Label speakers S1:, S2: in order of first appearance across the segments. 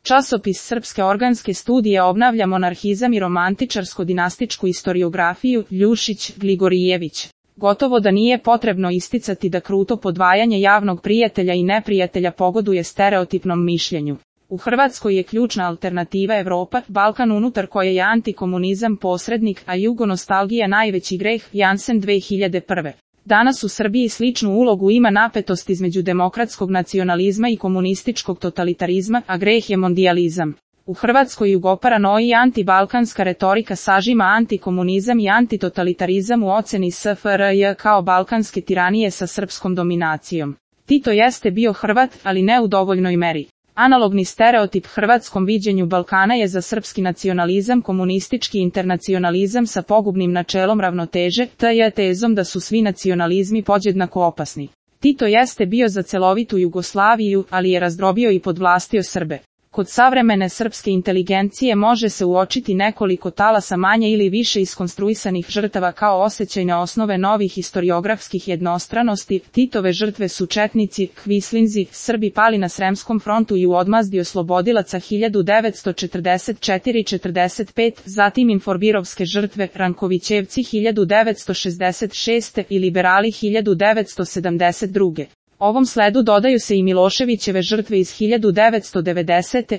S1: Časopis Srpske organske studije obnavlja monarhizam i romantičarsko-dinastičku istoriografiju, Ljušić, Gligorijević. Gotovo da nije potrebno isticati da kruto podvajanje javnog prijatelja i neprijatelja pogoduje stereotipnom mišljenju. U Hrvatskoj je ključna alternativa Evropa, Balkan unutar koje je antikomunizam posrednik, a jugonostalgija najveći greh, Jansen 2001. Danas u Srbiji sličnu ulogu ima napetost između demokratskog nacionalizma i komunističkog totalitarizma, a greh je mondijalizam. U Hrvatskoj jugoparanoji i antibalkanska retorika sažima antikomunizam i antitotalitarizam u oceni SFRJ kao balkanske tiranije sa srpskom dominacijom. Tito jeste bio Hrvat, ali ne u dovoljnoj meri. Analogni stereotip hrvatskom viđenju Balkana je za srpski nacionalizam komunistički internacionalizam sa pogubnim načelom ravnoteže, tezom da su svi nacionalizmi podjednako opasni. Tito jeste bio za celovitu Jugoslaviju, ali je razdrobio i podvlastio Srbe. Kod savremene srpske inteligencije može se uočiti nekoliko talasa manje ili više iskonstruisanih žrtava kao osjećajne osnove novih historiografskih jednostranosti. Titove žrtve su četnici, kvislinzi, Srbi pali na Sremskom frontu i u odmazdi oslobodilaca 1944-45, zatim inforbirovske žrtve, Rankovićevci 1966. i liberali 1972. Ovom sledu dodaju se i Miloševićeve žrtve iz 1990.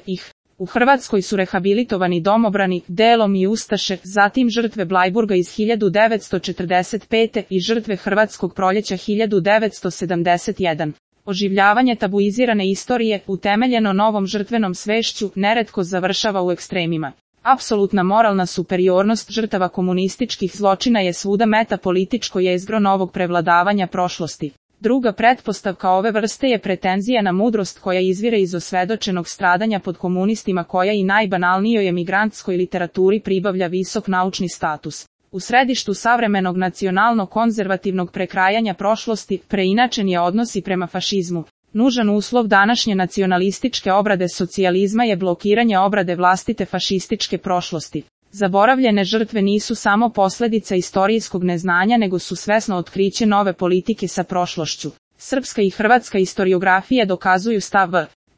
S1: U Hrvatskoj su rehabilitovani domobrani, delom i ustaše, zatim žrtve Blajburga iz 1945. i žrtve Hrvatskog proljeća 1971. Oživljavanje tabuizirane istorije, utemeljeno novom žrtvenom svešću, neretko završava u ekstremima. Apsolutna moralna superiornost žrtava komunističkih zločina je svuda metapolitičko jezgro novog prevladavanja prošlosti. Druga pretpostavka ove vrste je pretenzija na mudrost koja izvire iz osvedočenog stradanja pod komunistima koja i najbanalnijoj emigrantskoj literaturi pribavlja visok naučni status. U središtu savremenog nacionalno-konzervativnog prekrajanja prošlosti preinačen je odnos i prema fašizmu. Nužan uslov današnje nacionalističke obrade socijalizma je blokiranje obrade vlastite fašističke prošlosti. Zaboravljene žrtve nisu samo posljedica istorijskog neznanja nego su svesno otkriće nove politike sa prošlošću. Srpska i hrvatska historiografija dokazuju stav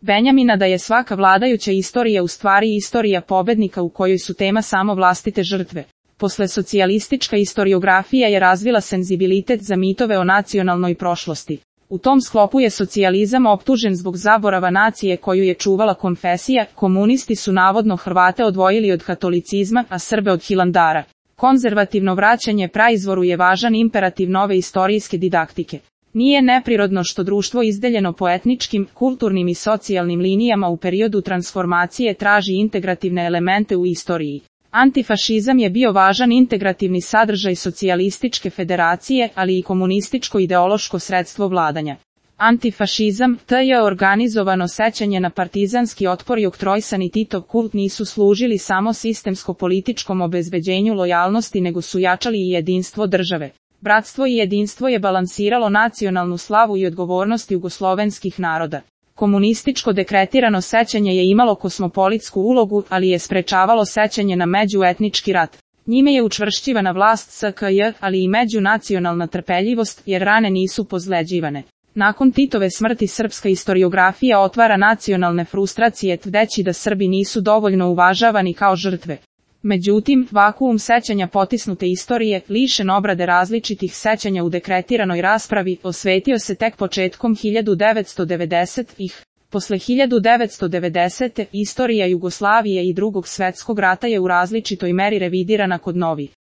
S1: Benjamina da je svaka vladajuća istorija u stvari istorija pobednika u kojoj su tema samo vlastite žrtve. Posle socijalistička historiografija je razvila senzibilitet za mitove o nacionalnoj prošlosti. U tom sklopu je socijalizam optužen zbog zaborava nacije koju je čuvala konfesija, komunisti su navodno Hrvate odvojili od katolicizma, a Srbe od Hilandara. Konzervativno vraćanje praizvoru je važan imperativ nove istorijske didaktike. Nije neprirodno što društvo izdeljeno po etničkim, kulturnim i socijalnim linijama u periodu transformacije traži integrativne elemente u istoriji. Antifašizam je bio važan integrativni sadržaj socijalističke federacije, ali i komunističko ideološko sredstvo vladanja. Antifašizam, je organizovano sećanje na partizanski otpor i oktrojsani Titov kult nisu služili samo sistemsko-političkom obezbeđenju lojalnosti nego su jačali i jedinstvo države. Bratstvo i jedinstvo je balansiralo nacionalnu slavu i odgovornost jugoslovenskih naroda. Komunističko dekretirano sećanje je imalo kosmopolitsku ulogu, ali je sprečavalo sećanje na međuetnički rat. Njime je učvršćivana vlast SKJ, ali i međunacionalna trpeljivost, jer rane nisu pozleđivane. Nakon Titove smrti srpska historiografija otvara nacionalne frustracije tvrdeći da Srbi nisu dovoljno uvažavani kao žrtve. Međutim, vakuum sećanja potisnute istorije, lišen obrade različitih sećanja u dekretiranoj raspravi, osvetio se tek početkom 1990-ih. Posle 1990. istorija Jugoslavije i Drugog svjetskog rata je u različitoj meri revidirana kod novih